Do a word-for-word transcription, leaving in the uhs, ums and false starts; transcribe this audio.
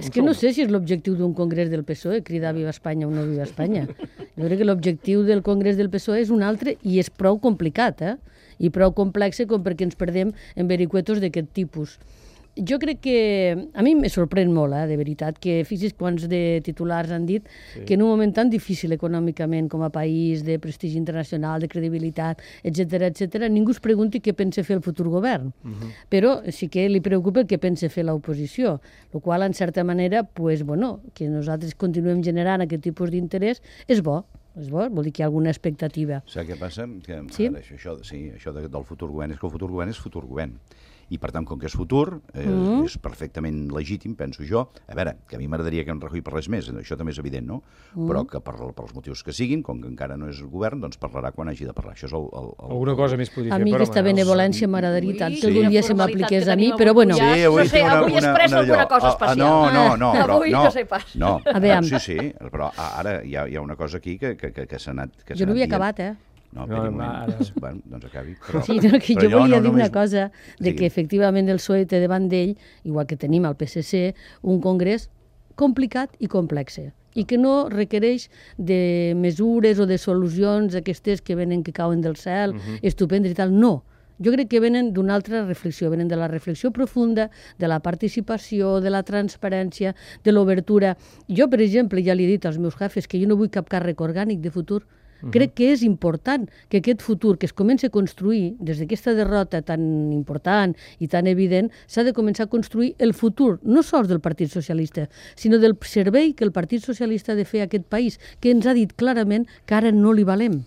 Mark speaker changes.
Speaker 1: És que no sé si és l'objectiu d'un congrés del P S O E, cridar Viva Espanya o no Viva Espanya. Jo crec que l'objectiu del congrés del P S O E és un altre i és prou complicat, eh? I prou complex com perquè ens perdem en vericuetos d'aquest tipus. Jo crec que... A mi me sorprèn molt, eh, de veritat, que fixis quants de titulars han dit sí. que en un moment tan difícil econòmicament com a país, de prestigi internacional, de credibilitat, etcètera, etcètera, ningú es pregunti què pensa fer el futur govern. Uh -huh. Però sí que li preocupa el que pensa fer l'oposició, el qual, en certa manera, pues, bueno, que nosaltres continuem generant aquest tipus d'interès és bo. És bo, vol dir que hi ha alguna expectativa.
Speaker 2: Saps què passa? Que,
Speaker 1: sí?
Speaker 2: Ara, això, sí, això de, del futur govern és que el futur govern és futur govern. I, per tant, com que és futur, eh, mm. és perfectament legítim, penso jo. A veure, que a mi m'agradaria que en Rajoy parlés més, això també és evident, no? Mm. Però que per, per els motius que siguin, com que encara no és govern, doncs parlarà quan hagi de parlar. Això és el... el, el
Speaker 3: Alguna cosa més podria fer,
Speaker 1: A mi aquesta benevolència m'agradaria tant que algun dia se m'apliqués a mi, però bueno...
Speaker 2: Sí, avui
Speaker 4: no sé,
Speaker 2: una,
Speaker 4: avui has pres
Speaker 2: una,
Speaker 4: alguna
Speaker 2: allò.
Speaker 4: cosa especial.
Speaker 2: No, no, no, però...
Speaker 4: Avui
Speaker 2: no,
Speaker 4: no sé pas.
Speaker 2: No,
Speaker 1: a veure,
Speaker 2: sí, sí, però ara hi ha, hi ha una cosa aquí que, que, que, que s'ha anat... Que
Speaker 1: jo no havia
Speaker 2: dient.
Speaker 1: acabat, eh?
Speaker 2: No, no, un moment. Bueno, doncs acabi. Però,
Speaker 1: sí, no, que jo volia no, dir una
Speaker 2: només...
Speaker 1: cosa, de que efectivament el P S O E té davant d'ell, igual que tenim al P S C, un congrés complicat i complex, i que no requereix de mesures o de solucions aquestes que venen, que cauen del cel, uh-huh. estupendes i tal, no. Jo crec que venen d'una altra reflexió, venen de la reflexió profunda, de la participació, de la transparència, de l'obertura. Jo, per exemple, ja li he dit als meus jefes que jo no vull cap càrrec orgànic de futur. Uh-huh. Crec que és important que aquest futur que es comença a construir des d'aquesta derrota tan important i tan evident, s'ha de començar a construir el futur, no sols del Partit Socialista, sinó del servei que el Partit Socialista ha de fer a aquest país, que ens ha dit clarament que ara no li valem.